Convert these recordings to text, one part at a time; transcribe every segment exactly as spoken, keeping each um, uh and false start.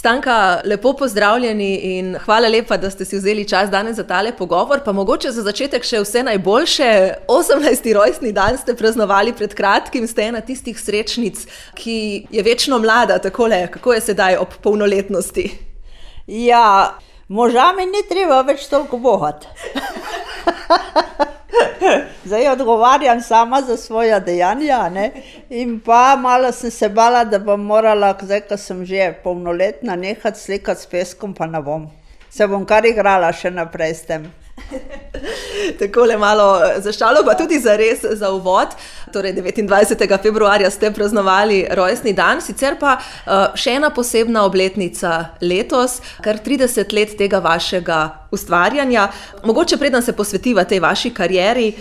Stanka, lepo pozdravljeni in hvala lepa, da ste si vzeli čas danes za tale pogovor. Pa mogoče za začetek še vse najboljše. osemnajsti rojstni dan ste praznovali pred kratkim, ste ena tistih srečnic, ki je večno mlada, takole. Kako je sedaj ob polnoletnosti? Ja, moža mi ni treba več toliko bohati. Zdaj odgovarjam sama za svoja dejanja, ne? In pa malo sem se bala, da bom morala, zdaj, ko sem že polnoletna, nehati slikati s peskom, pa ne bom. Se bom kar igrala še naprej s tem. Takole malo za šalo, pa tudi za res za uvod. Torej devetindvajsetega februarja ste praznovali rojstni dan, sicer pa uh, še ena posebna obletnica letos, kar trideset let tega vašega ustvarjanja. Mogoče preden se posvetiva tej vaši karieri,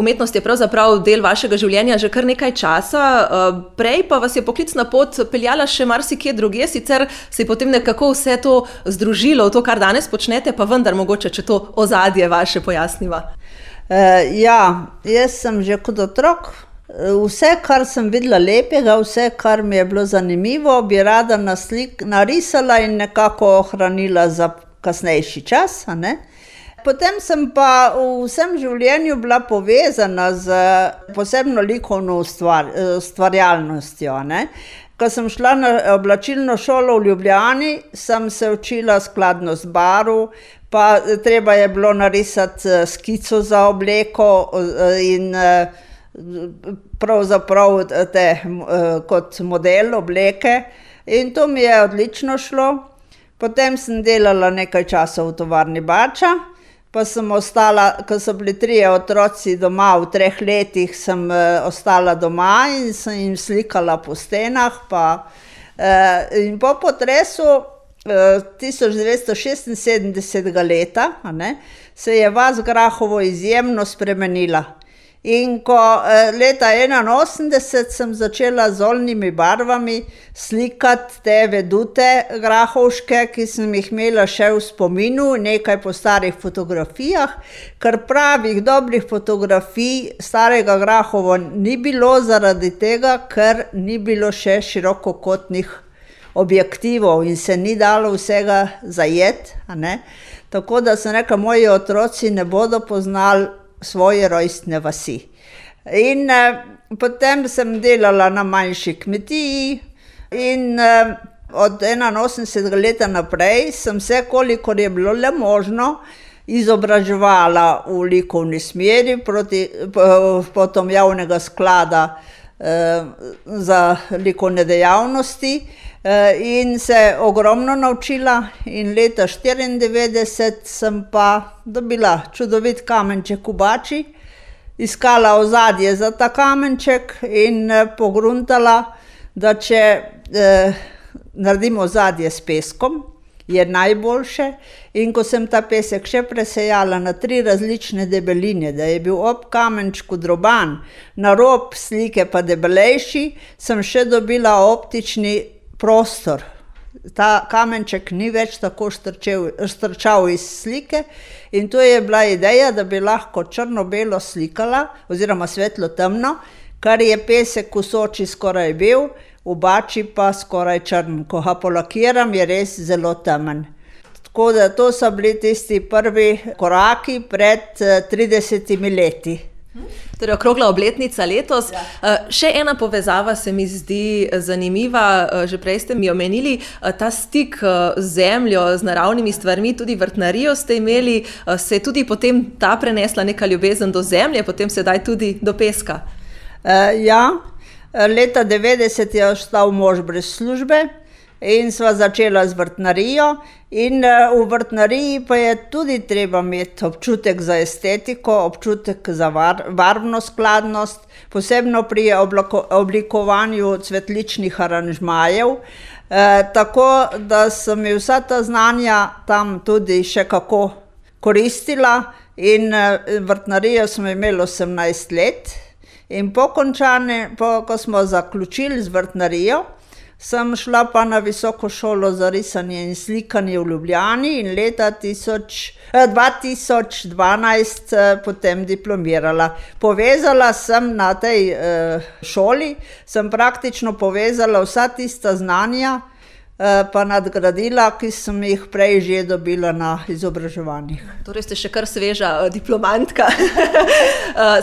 umetnost je pravzaprav del vašega življenja že kar nekaj časa, uh, prej pa vas je poklicna pot peljala še marsikje drugje, sicer se je potem nekako vse to združilo v to, kar danes počnete, pa vendar mogoče, če to ozadje vaše pojasniva. Uh, ja, jaz sem že kot otrok, vse, kar sem videla lepega, vse, kar mi je bilo zanimivo, bi rada naslik, narisala in nekako ohranila za kasnejši čas, a ne? Potem sem pa v vsem življenju bila povezana z posebno likovno ustvar, ustvarjalnostjo, ne? Ko sem šla na oblačilno šolo v Ljubljani, sem se učila skladnost barv, pa treba je bilo narisati skico za obleko in pravzaprav te, kot model obleke, in to mi je odlično šlo. Potem sem delala nekaj časa v tovarni Bača, pa sem ostala, ko so bili trije otroci doma, v treh letih sem uh, ostala doma in sem jim slikala po stenah. Pa, uh, in po potresu uh, tisoč devetsto šestinsedemdesetega leta, a ne, se je vas Grahovo izjemno spremenila. In ko uh, leta enainosemdeset sem začela z oljnimi barvami slikati te vedute grahovške, ki sem jih imela še v spominu, nekaj po starih fotografijah, ker pravih dobrih fotografij starega Grahova ni bilo zaradi tega, ker ni bilo še širokokotnih objektivov in se ni dalo vsega zajeti, a ne. Tako da sem rekla, moji otroci ne bodo poznali svoje rojstne vasi. In eh, potem sem delala na manjši kmetiji in eh, od enainosemdesetega leta naprej sem se, kolikor je bilo le možno, izobraževala v likovni smeri proti, potom javnega sklada eh, za likovne dejavnosti eh, in se ogromno naučila, in leta štiriindevetdeset sem pa dobila čudovit kamenček v Bači, iskala ozadje za ta kamenček in eh, pogruntala, da če eh, naredim ozadje s peskom, je najboljše, in ko sem ta pesek še presejala na tri različne debeline, da je bil ob kamenčku droban, na rob slike pa debelejši, sem še dobila optični prostor. Ta kamenček ni več tako štrčel, štrčal iz slike, in to je bila ideja, da bi lahko črno-belo slikala oziroma svetlo-temno, kar je pesek v Soči skoraj bil, v Bači pa skoraj črn. Ko ga polakiram, je res zelo temen. Tako da to so bili tisti prvi koraki pred tridesetimi leti. Torej okrogla obletnica letos. Ja. Še ena povezava se mi zdi zanimiva, že prej ste mi omenili, ta stik z zemljo, z naravnimi stvarmi, tudi vrtnarijo ste imeli, se je tudi potem ta prenesla neka ljubezen do zemlje, potem sedaj tudi do peska. Uh, ja, leta devetdeset je ostal mož brez službe in sva začela z vrtnarijo, in v vrtnariji pa je tudi treba imeti občutek za estetiko, občutek za var, barvno skladnost, posebno pri oblako, oblikovanju cvetličnih aranžmajev, e, tako da so mi vsa ta znanja tam tudi še kako koristila, in e, vrtnarijo smo imeli osemnajst let, in po končane, po, ko smo zaključili z vrtnarijo, sem šla pa na visoko šolo za risanje in slikanje v Ljubljani in leta tisoč, eh, dva tisoč dvanajst eh, potem diplomirala. Povezala sem na tej eh, šoli, sem praktično povezala vsa tista znanja, pa nadgradila, ki sem jih prej že dobila na izobraževanjih. Torej ste še kar sveža diplomantka,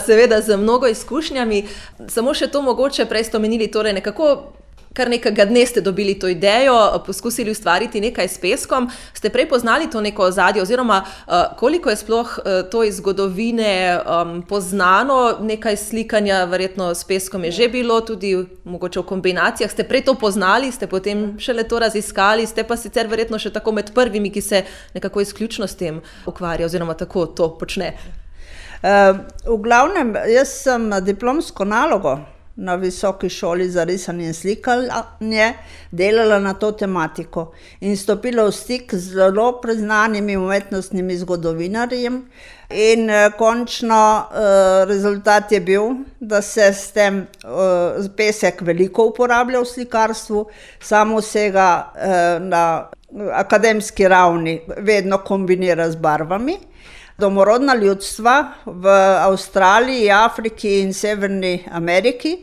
seveda z mnogo izkušnjami. Samo še to mogoče, prej ste omenili, torej nekako kar nekega dne ste dobili to idejo, poskusili ustvariti nekaj s peskom. Ste prej poznali to neko ozadje oziroma koliko je sploh to iz zgodovine um, poznano, nekaj slikanja verjetno s peskom je že bilo, tudi mogoče v kombinacijah. Ste prej to poznali, ste potem šele to raziskali, ste pa sicer verjetno še tako med prvimi, ki se nekako izključno s tem ukvarja oziroma tako to počne. Uh, v glavnem, jaz sem diplomsko nalogo na Visoki šoli za risanje in slikanje delala na to tematiko in stopila v stik z zelo priznanimi umetnostnimi zgodovinarji in eh, končno eh, rezultat je bil, da se s tem eh, pesek veliko uporablja v slikarstvu, samo vsega eh, na akademski ravni vedno kombinira z barvami. Domorodna ljudstva v Avstraliji, Afriki in Severni Ameriki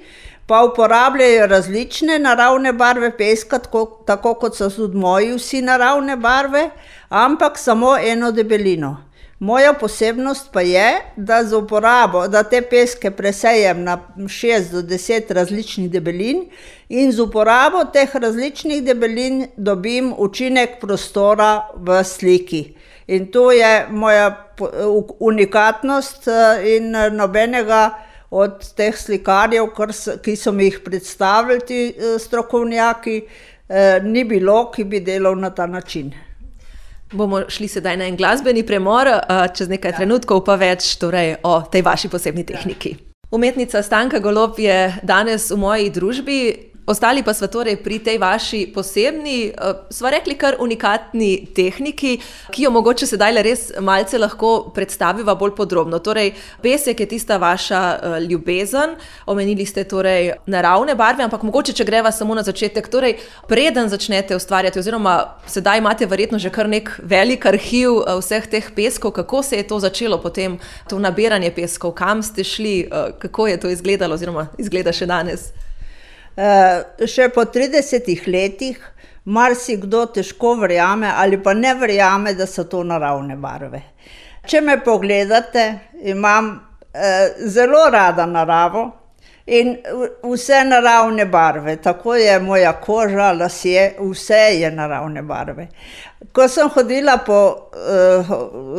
pa uporabljajo različne naravne barve peska, tako, tako kot so tudi moji vsi naravne barve, ampak samo eno debelino. Moja posebnost pa je, da z uporabo, da te peske presejem na šest do deset različnih debelin in z uporabo teh različnih debelin dobim učinek prostora v sliki. In to je moja unikatnost in nobenega od teh slikarjev, ki so mi jih predstavili ti strokovnjaki, ni bilo, ki bi delal na ta način. Bomo šli sedaj na en glasbeni premor, čez nekaj ja. trenutkov pa več torej, o tej vaši posebni tehniki. Umetnica Stanka Golob je danes v moji družbi. Ostali pa sva torej pri tej vaši posebni, sva rekli kar unikatni tehniki, ki jo mogoče sedaj le res malce lahko predstaviva bolj podrobno. Torej, pesek je tista vaša ljubezen, omenili ste torej naravne barve, ampak mogoče, če greva samo na začetek, torej preden začnete ustvarjati, oziroma sedaj imate verjetno že kar nek velik arhiv vseh teh peskov, kako se je to začelo potem, to nabiranje peskov, kam ste šli, kako je to izgledalo oziroma izgleda še danes? Uh, še po tridesetih letih marsikdo težko verjame ali pa ne verjame, da so to naravne barve. Če me pogledate, imam uh, zelo rada naravo in vse naravne barve, tako je moja koža, lasje, vse je naravne barve. Ko sem hodila po, uh,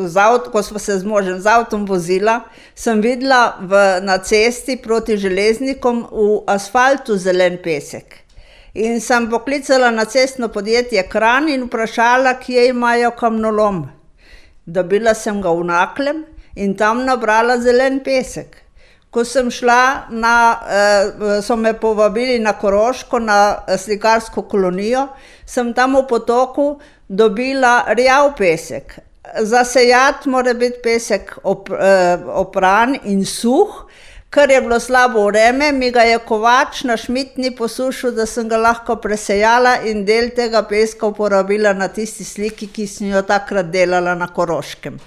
z avto, ko smo se z možem z avtom vozila, sem videla v, na cesti proti železnikom v asfaltu zelen pesek. In sem poklicala na cestno podjetje Kranj in vprašala, kje imajo kamnolom. Dobila sem ga v Naklem in tam nabrala zelen pesek. Ko sem šla, na, eh, so me povabili na Koroško, na slikarsko kolonijo, sem tam v potoku dobila rjav pesek. Za sejat mora biti pesek op, eh, opran in suh, ker je bilo slabo vreme, mi ga je kovač na Šmitni posušil, da sem ga lahko presejala in del tega peska uporabila na tisti sliki, ki sem jo takrat delala na Koroškem.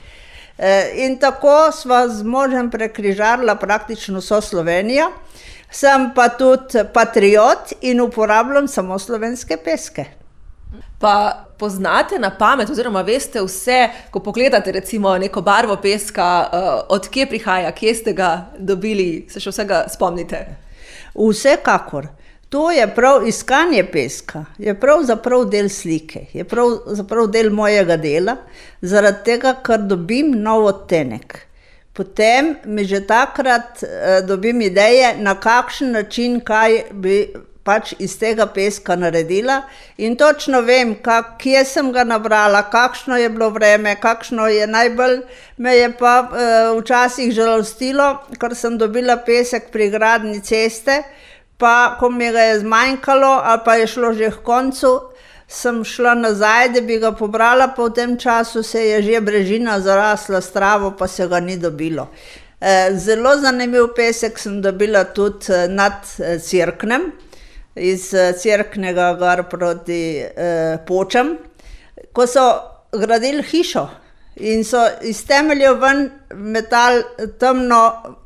In tako sva z možem prekrižarila praktično vso Slovenijo. Sem pa tudi patriot in uporabljam samo slovenske peske. Pa poznate na pamet oziroma veste vse, ko pogledate recimo neko barvo peska, od kje prihaja, kje ste ga dobili, se še vsega spomnite? Vsekakor. To je prav iskanje peska, je pravzaprav del slike, je pravzaprav del mojega dela, zaradi tega, ker dobim nov odtenek. Potem mi že takrat eh, dobim ideje, na kakšen način, kaj bi pač iz tega peska naredila in točno vem, kak, kje sem ga nabrala, kakšno je bilo vreme, kakšno je najbolj, me je pa eh, včasih žalostilo, ker sem dobila pesek pri gradnji ceste, pa ko mi ga je zmanjkalo ali pa je šlo že k koncu, sem šla nazaj, da bi ga pobrala, pa v tem času se je že brežina zarasla s travo, pa se ga ni dobilo. Zelo zanimiv pesek sem dobila tudi nad Cerknem, iz Cerknega gor proti Počam, ko so gradili hišo in so iz temeljev ven metali temno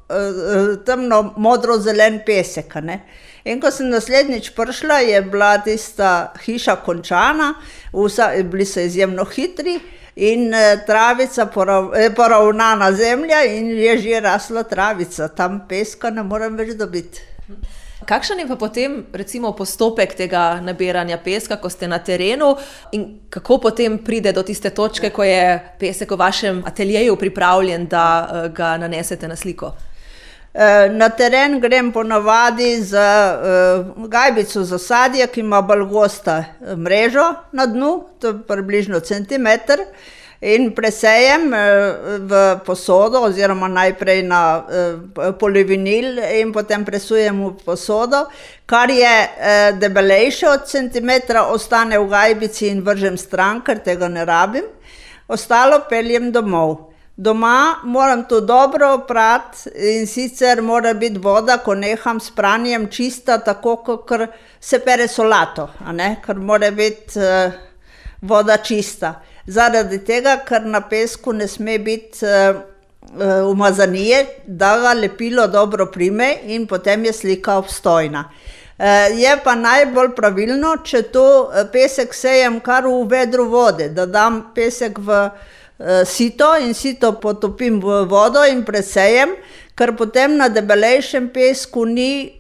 temno modro-zelen pesek, ne. In ko sem naslednjič prišla, je bila tista hiša končana, vsa, bili so izjemno hitri in travica, poravnana zemlja in je že rasla travica. Tam peska ne morem več dobiti. Kakšen je pa potem recimo postopek tega nabiranja peska, ko ste na terenu in kako potem pride do tiste točke, ko je pesek v vašem ateljeju pripravljen, da ga nanesete na sliko? Na teren grem ponavadi z gajbico za sadje, ki ima bolj gosta mrežo na dnu, to je približno centimeter, in presejem v posodo oziroma najprej na polivinil in potem presujem v posodo. Kar je debelejše od centimetra, ostane v gajbici in vržem stran, ker tega ne rabim. Ostalo peljem domov. Doma moram to dobro oprati in sicer mora biti voda, ko neham s pranjem, čista, tako kot se pere solato, a ne? Ker mora biti voda čista. Zaradi tega, ker na pesku ne sme biti umazanije, da ga lepilo dobro prime in potem je slika obstojna. Je pa najbolj pravilno, če to pesek sejem kar v vedru vode, da dam pesek v sito in sito potopim v vodo in presejem, ker potem na debelejšem pesku ni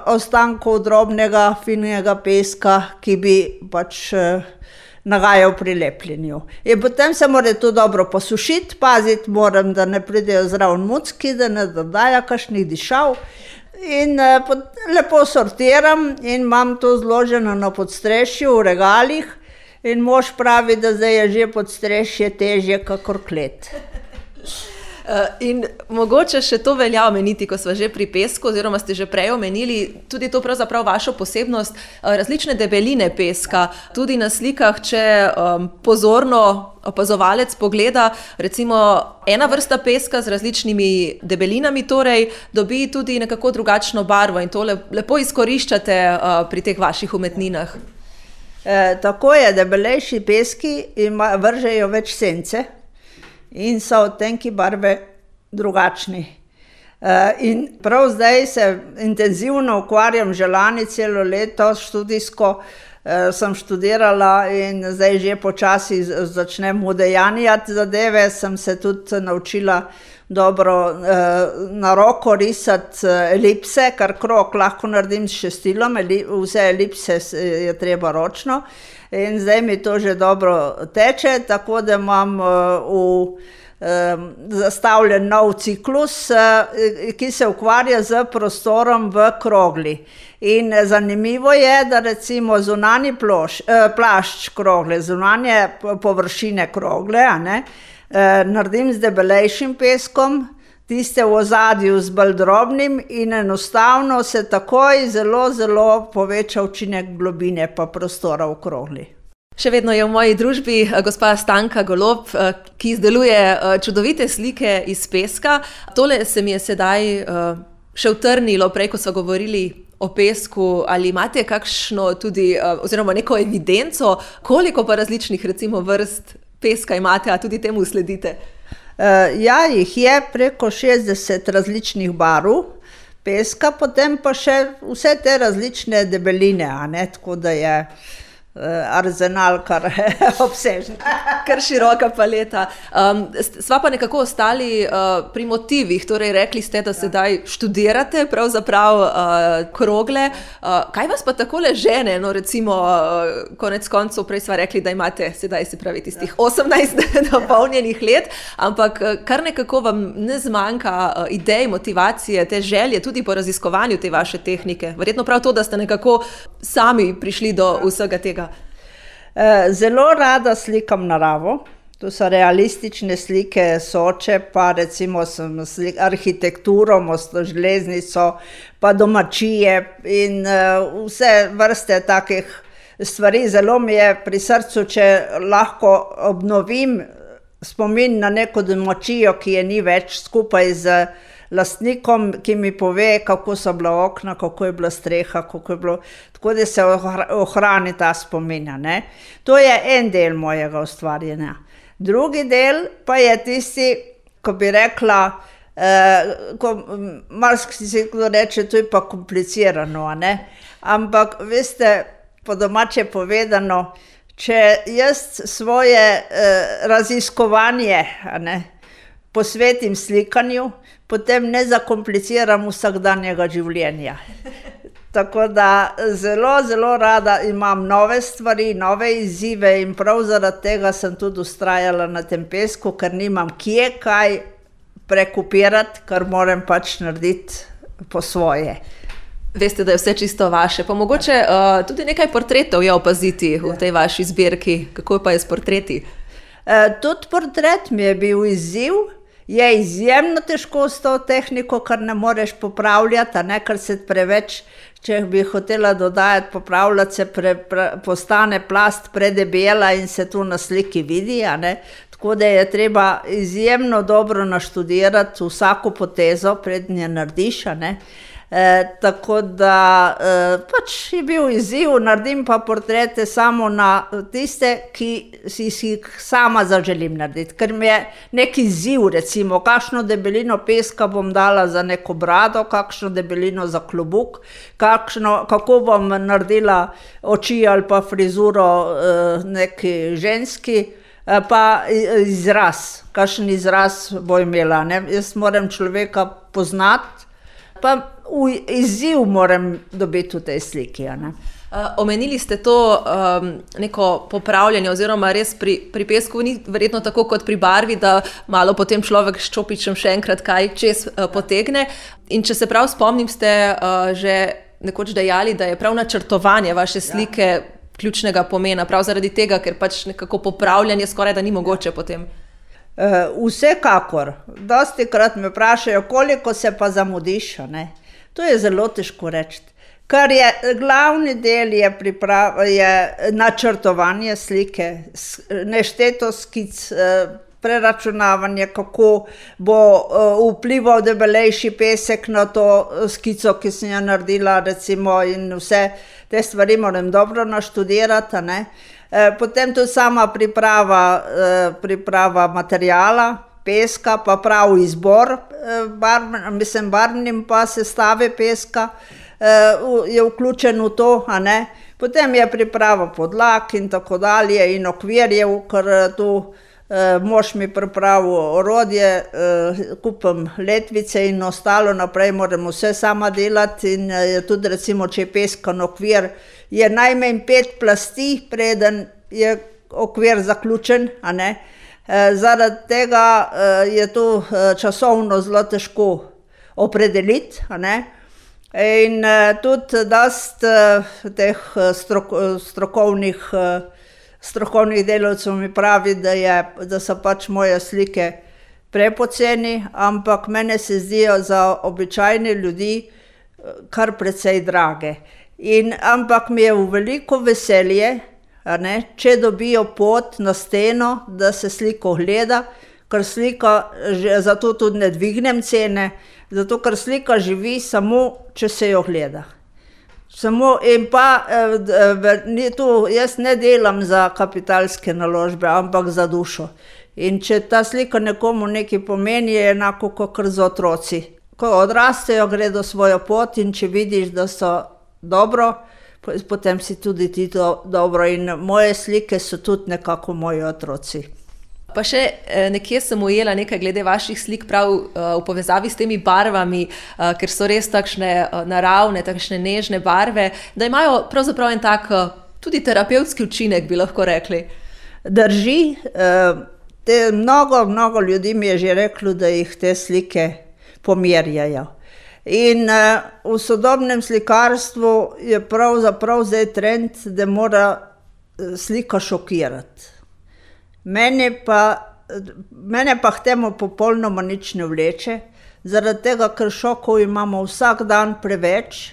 ostankov drobnega, finega peska, ki bi pač nagajal pri lepljenju. In potem se mora to dobro posušiti, paziti moram, da ne pridejo zraven mucki, da ne dodaja kakšnih dišav. In lepo sortiram in imam to zloženo na podstrešju v regalih. In mož pravi, da zdaj je že podstrešje težje kakor klet. In mogoče še to velja omeniti, ko sva že pri pesku, oziroma ste že prej omenili, tudi to pravzaprav vašo posebnost, različne debeline peska. Tudi na slikah, če um, pozorno opazovalec pogleda, recimo ena vrsta peska z različnimi debelinami, torej dobi tudi nekako drugačno barvo in to lepo izkoriščate uh, pri teh vaših umetninah. E, tako je, debelejši peski ima, vržejo več sence in so odtenki barve drugačni. E, in prav zdaj se intenzivno ukvarjam že lani celo leto študijsko, e, sem študirala in zdaj že počasi začnem udejanjati zadeve, sem se tudi naučila dobro eh, na roko risati elipse, kar krog lahko naredim s šestilom, vse elipse je treba ročno in zdaj mi to že dobro teče, tako da imam eh, v, eh, zastavljen nov ciklus, eh, ki se ukvarja z prostorom v krogli. In zanimivo je, da recimo zunanji ploš, eh, plašč krogle, zunanje površine krogle, a ne, naredim z debelejšim peskom, tiste v ozadju z bolj drobnim in enostavno se takoj zelo, zelo poveča učinek globine pa prostora v krogli. Še vedno je v moji družbi gospa Stanka Golob, ki izdeluje čudovite slike iz peska. Tole se mi je sedaj še utrnilo, prej ko so govorili o pesku, ali imate kakšno tudi, oziroma neko evidenco, koliko pa različnih recimo vrst peska imate, a tudi temu sledite? Uh, ja, jih je preko šestdeset različnih barv peska, potem pa še vse te različne debeline, a ne, tako da je arzenal kar obsežen. Kar široka paleta. Um, sva pa nekako ostali uh, pri motivih, torej rekli ste, da sedaj študirate pravzaprav uh, krogle. Uh, kaj vas pa takole žene, no recimo uh, konec koncev, prej sva rekli, da imate sedaj se pravi tistih osemnajst dopolnjenih let, ampak uh, kar nekako vam ne zmanjka uh, idej, motivacije, te želje tudi po raziskovanju te vaše tehnike. Verjetno prav to, da ste nekako sami prišli do vsega tega. Zelo rada slikam naravo, to so realistične slike Soče, pa recimo sem slik, arhitekturo, mostno železnico, pa domačije in uh, vse vrste takih stvari. Zelo mi je pri srcu, če lahko obnovim spomin na neko domačijo, ki je ni več, skupaj z lastnikom, ki mi pove, kako so bila okna, kako je bila streha, kako je bilo, tako da se ohrani ta spomin, ne. To je en del mojega ustvarjanja. Drugi del pa je tisti, ko bi rekla, Uh, ko marsikdo si kdo reče, to je pa komplicirano, a ne? Ampak veste, po domače povedano, če jaz svoje uh, raziskovanje, a ne, posvetim slikanju, potem ne zakompliciram vsakdanjega življenja. Tako da zelo, zelo rada imam nove stvari, nove izzive in prav zaradi tega sem tudi vztrajala na tem pesku, ker nimam kje kaj prekopirati, kar moram pač narediti po svoje. Veste, da je vse čisto vaše. Pa mogoče uh, tudi nekaj portretov je opaziti v tej vaši zbirki. Kako pa je s portreti? Uh, tudi portret mi je bil izziv. Je izjemno težko s to tehniko, kar ne moreš popravljati, a ne, ker se preveč, če bi hotela dodajati, popravljati se pre, pre, postane plast predebela in se tu na sliki vidi, a ne. Tako da je treba izjemno dobro naštudirati vsako potezo, prednje narediš, a ne. E, tako da e, pač je bil izziv, naredim pa portrete samo na tiste, ki si jih sama zaželim narediti, ker mi je neki izziv, recimo, kakšno debelino peska bom dala za neko brado, kakšno debelino za klobuk, kakšno, kako bom naredila oči ali pa frizuro e, neki ženski, pa izraz, kakšen izraz bo imela, ne? Jaz moram človeka poznati, pa izziv moram dobiti v tej sliki, a ne? Uh, omenili ste to um, neko popravljanje oziroma res pri, pri pesku ni verjetno tako kot pri barvi, da malo potem človek s čopičem še enkrat kaj čez uh, potegne. In če se prav spomnim, ste uh, že nekoč dejali, da je prav načrtovanje vaše slike ja. ključnega pomena, prav zaradi tega, ker pač nekako popravljanje skoraj da ni mogoče potem. Uh, vsekakor. Dosti krat me vprašajo, koliko se pa zamudiš, ne? To je zelo težko reči. Kar je glavni del je, priprav, je načrtovanje slike, nešteto skic, preračunavanje, kako bo vplival debelejši pesek na to skico, ki sem jo naredila, recimo, in vse te stvari moram dobro naštudirati, a ne. Potem tudi sama priprava, priprava materijala, peska, pa prav izbor, barv, mislim, barvnim pa sestave peska je vključen v to, a ne. Potem je priprava podlag in tako dalje in okvirjev, ker tu mož mi pripravil orodje, kupim letvice in ostalo naprej moram vse sama delati in tudi recimo, če je peskan okvir, je najmanj pet plasti, preden je okvir zaključen, a ne. Zaradi tega je to časovno zelo težko opredeliti, a ne. In tudi dosti teh strok, strokovnih, strokovnih delavcev mi pravi, da, je, da so pač moje slike prepoceni, ampak mene se zdijo za običajne ljudi kar precej drage. In, ampak mi je v veliko veselje, a ne, če dobijo pot na steno, da se sliko gleda, ker slika, zato tudi ne dvignem cene, zato ker slika živi samo, če se jo gleda. Samo in pa, eh, tu, jaz ne delam za kapitalske naložbe, ampak za dušo. In če ta slika nekomu nekaj pomeni, je enako kot za otroci. Ko odrastejo, gredo svojo pot in če vidiš, da so dobro, potem si tudi ti to dobro in moje slike so tudi nekako moji otroci. Pa še nekje sem ujela nekaj glede vaših slik prav v povezavi s temi barvami, ker so res takšne naravne, takšne nežne barve, da imajo pravzaprav en tak tudi terapevtski učinek, bi lahko rekli. Drži, te mnogo, mnogo ljudi mi je že reklo, da jih te slike pomirjajo. In uh, v sodobnem slikarstvu je pravzaprav zdaj trend, da mora slika šokirati. Mene pa, mene pa k temu popolnoma nič ne vleče, zaradi tega, ker šokov imamo vsak dan preveč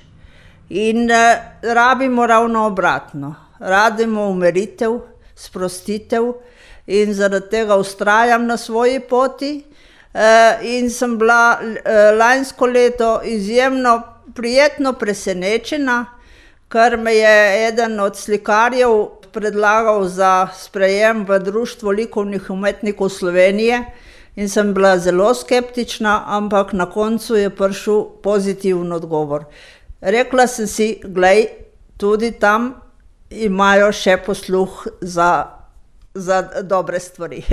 in uh, rabimo ravno obratno. Rabimo umiritev, sprostitev in zaradi tega vztrajam na svoji poti. Uh, in sem bila uh, lansko leto izjemno prijetno presenečena, ker me je eden od slikarjev predlagal za sprejem v Društvo likovnih umetnikov Slovenije, In sem bila zelo skeptična, ampak na koncu je prišel pozitiven odgovor. Rekla sem si, glej, tudi tam imajo še posluh za, za dobre stvari.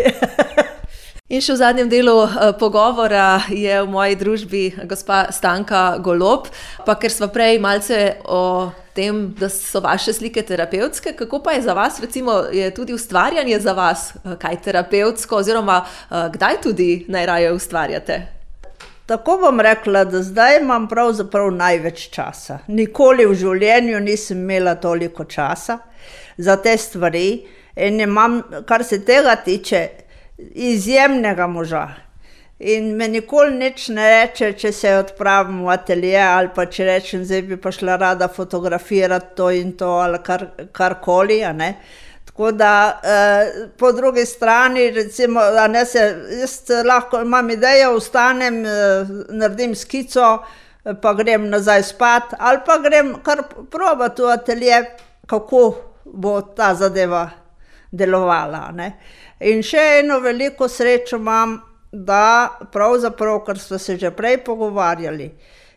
In še v zadnjem delu pogovora je v moji družbi gospa Stanka Golob, pa ker sva prej malce o tem, da so vaše slike terapevtske, kako pa je za vas, recimo, je tudi ustvarjanje za vas kaj terapevtsko, oziroma kdaj tudi najraje ustvarjate? Tako bom rekla, da zdaj imam pravzaprav največ časa. Nikoli v življenju nisem imela toliko časa za te stvari in imam, kar se tega tiče, izjemnega moža. In me nikoli nič ne reče, če se odpravim v atelje ali pa če rečem, zdaj bi pa šla rada fotografirati to in to ali kar, karkoli, a ne. Tako da eh, po drugi strani, recimo, a ne se, jaz lahko imam idejo, vstanem, eh, naredim skico, pa grem nazaj spat, ali pa grem kar probati v atelje, kako bo ta zadeva delovala, ne. In še eno veliko srečo imam, da pravzaprav, kar smo se že prej pogovarjali,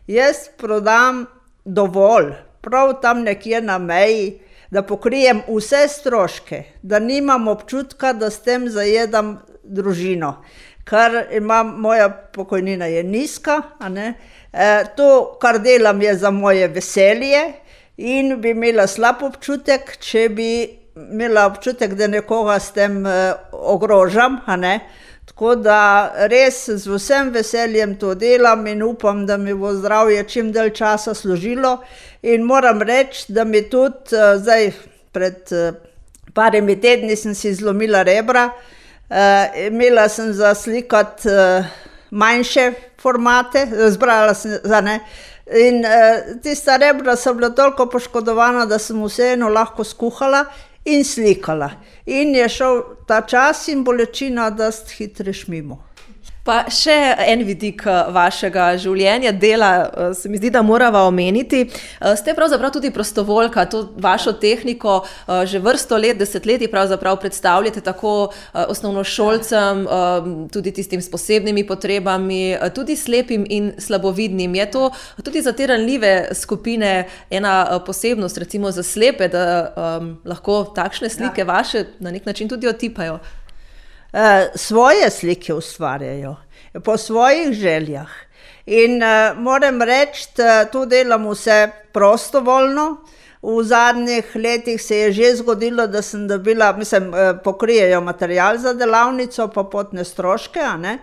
jaz prodam dovolj, prav tam nekje na meji, da pokrijem vse stroške, da nimam občutka, da s tem zajedam družino, ker imam, moja pokojnina je nizka, a ne, e, to, kar delam, je za moje veselje in bi imela slab občutek, če bi imela občutek, da nekoga s tem eh, ogrožam, a ne. Tako da res z vsem veseljem to delam in upam, da mi bo zdravje čim dalj časa služilo. In moram reči, da mi tudi eh, zdaj pred eh, parimi tedni sem si zlomila rebra, eh, imela sem za slikati eh, manjše formate, zbrala sem za ne. In eh, tista rebra so bila toliko poškodovana, da sem vseeno lahko skuhala in slikala. In je šel ta čas in bolečina dosti hitreš mimo. Pa še en vidik vašega življenja, dela, se mi zdi, da morava omeniti. Ste pravzaprav tudi prostovoljka, to vašo tehniko že vrsto let, desetletij pravzaprav predstavljate tako osnovnošolcem, tudi tistim s posebnimi potrebami, tudi slepim in slabovidnim. Je to tudi za te ranljive skupine ena posebnost, recimo za slepe, da um, lahko takšne slike ja. Vaše na nek način tudi otipajo? Svoje slike ustvarjajo, po svojih željah. In uh, moram reči, da to delam vse prostovoljno. V zadnjih letih se je že zgodilo, da sem dobila, mislim, pokrijejo material za delavnico, pa potne stroške, a ne.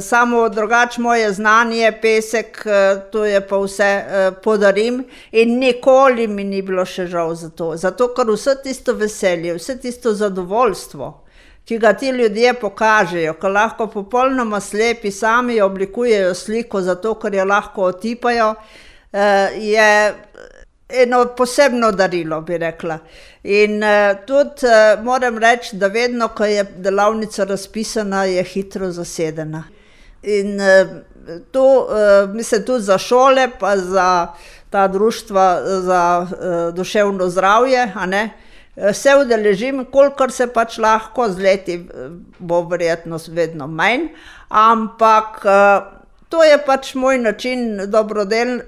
Samo drugače moje znanje, pesek, to je pa vse podarim in nikoli mi ni bilo še žal za to. Zato, ker vse tisto veselje, vse tisto zadovoljstvo, ki ga ti ljudje pokažejo, ko lahko popolnoma slepi sami oblikujejo sliko, zato ker jo lahko otipajo, je eno posebno darilo, bi rekla. In tudi moram reči, da vedno, ko je delavnica razpisana, je hitro zasedena. In to, mislim, tudi za šole, pa za ta društva za duševno zdravje, a ne, se udeležim, kolikor se pač lahko, z leti bo verjetno vedno manj, ampak to je pač moj način dobrodel,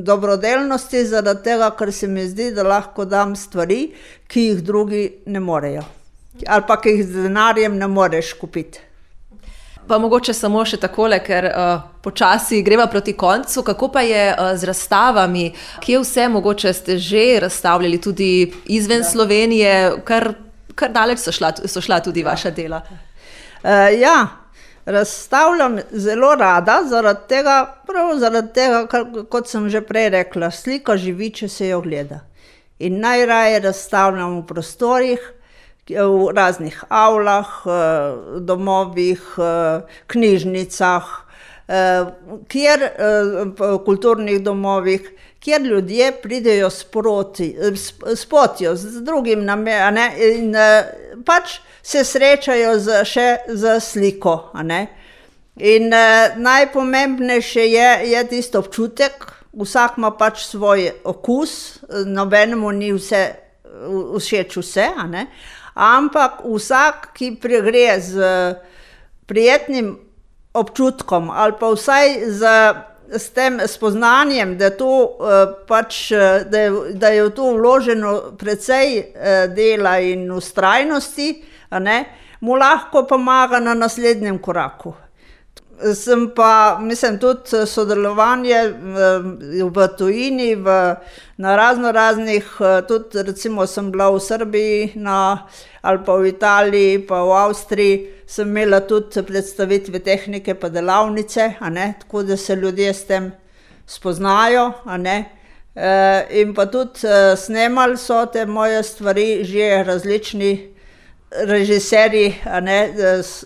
dobrodelnosti, zaradi tega, ker se mi zdi, da lahko dam stvari, ki jih drugi ne morejo. Ali pa ki jih z denarjem ne moreš kupiti. Pa mogoče samo še takole, ker uh, počasi greva proti koncu. Kako pa je uh, z razstavami? Kje vse mogoče ste že razstavljali tudi izven ja. Slovenije? Kar, kar daleč so šla, so šla tudi vaša dela. Uh, ja, razstavljam zelo rada, zaradi tega, prav zaradi tega, kar, kot sem že prej rekla, slika živi, če se jo gleda. In najraje razstavljam v prostorih, v raznih avlah, domovih, knjižnicah, kjer, kulturnih domovih, kjer ljudje pridejo sproti, spotijo z drugim namenom in pač se srečajo z, še z sliko. A ne? In najpomembnejše je, je tisto občutek, vsak ima pač svoj okus, nobenemu ni vse, všeč vse, a ne? Ampak vsak, ki pregre z prijetnim občutkom ali pa vsaj z, s tem spoznanjem, da, to, pač, da, je, da je v to vloženo precej dela in vztrajnosti, a ne, mu lahko pomaga na naslednjem koraku. Sem pa, mislim, tudi sodelovanje v tujini, v, na razno raznih, tudi recimo sem bila v Srbiji na, ali pa v Italiji, pa v Avstriji, sem imela tudi predstavitve tehnike pa delavnice, a ne, tako da se ljudje s tem spoznajo, a ne. E, in pa tudi snemali so te moje stvari že različni režiserji, a ne,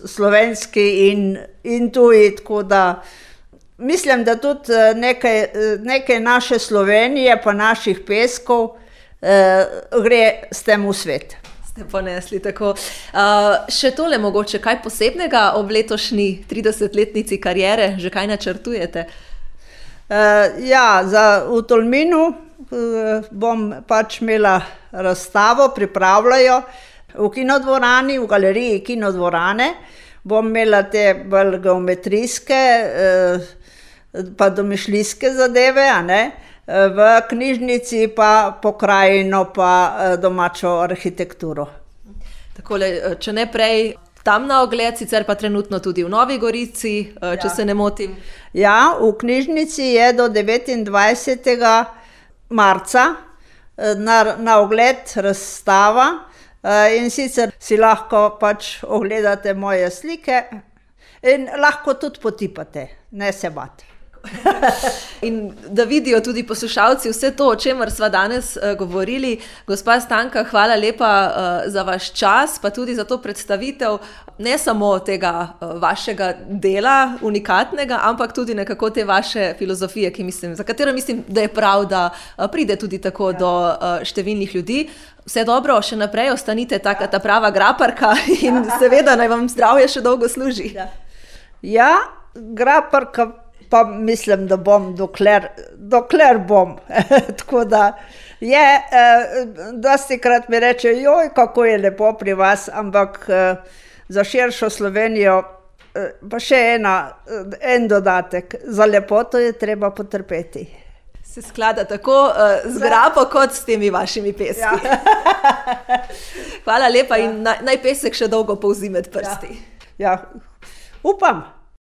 slovenski in, in tuji, tako da mislim, da tudi nekaj, nekaj naše Slovenije pa naših peskov eh, gre s tem v svet. Ste ponesli tako. Uh, še tole mogoče, kaj posebnega ob letošnji tridesetletnici kariere, že kaj načrtujete? Uh, ja, za, v Tolminu uh, bom pač imela razstavo, pripravljajo, v kinodvorani, v galeriji kinodvorane, bom imela te bolj geometrijske, eh, pa domišljijske zadeve, a ne, v knjižnici pa pokrajino pa domačo arhitekturo. Takole, če ne prej tam na ogled, sicer pa trenutno tudi v Novi Gorici, če ja. se ne motim. Ja, v knjižnici je do devetindvajsetega marca na, na ogled razstava. In sicer si lahko pač ogledate moje slike in lahko tudi potipate, ne se bati. In da vidijo tudi poslušalci vse to, o čemer sva danes uh, govorili. Gospa Stanka, hvala lepa uh, za vaš čas, pa tudi za to predstavitev ne samo tega uh, vašega dela unikatnega, ampak tudi nekako te vaše filozofije, ki mislim, za katero mislim, da je prav, da uh, pride tudi tako ja. do uh, številnih ljudi. Vse dobro, še naprej ostanite taka ta prava graparka in seveda naj vam zdravje še dolgo služi. Ja, ja, graparka pa mislim, da bom dokler, dokler bom. Tako da je, eh, dostikrat mi reče, joj, kako je lepo pri vas, ampak eh, za širšo Slovenijo eh, pa še ena, en dodatek, za lepoto je treba potrpeti. Se sklada tako uh, z grapo kot s temi vašimi peski. Ja. Hvala lepa ja. in naj, naj pesek še dolgo polzi med prsti. Ja, ja. Upam.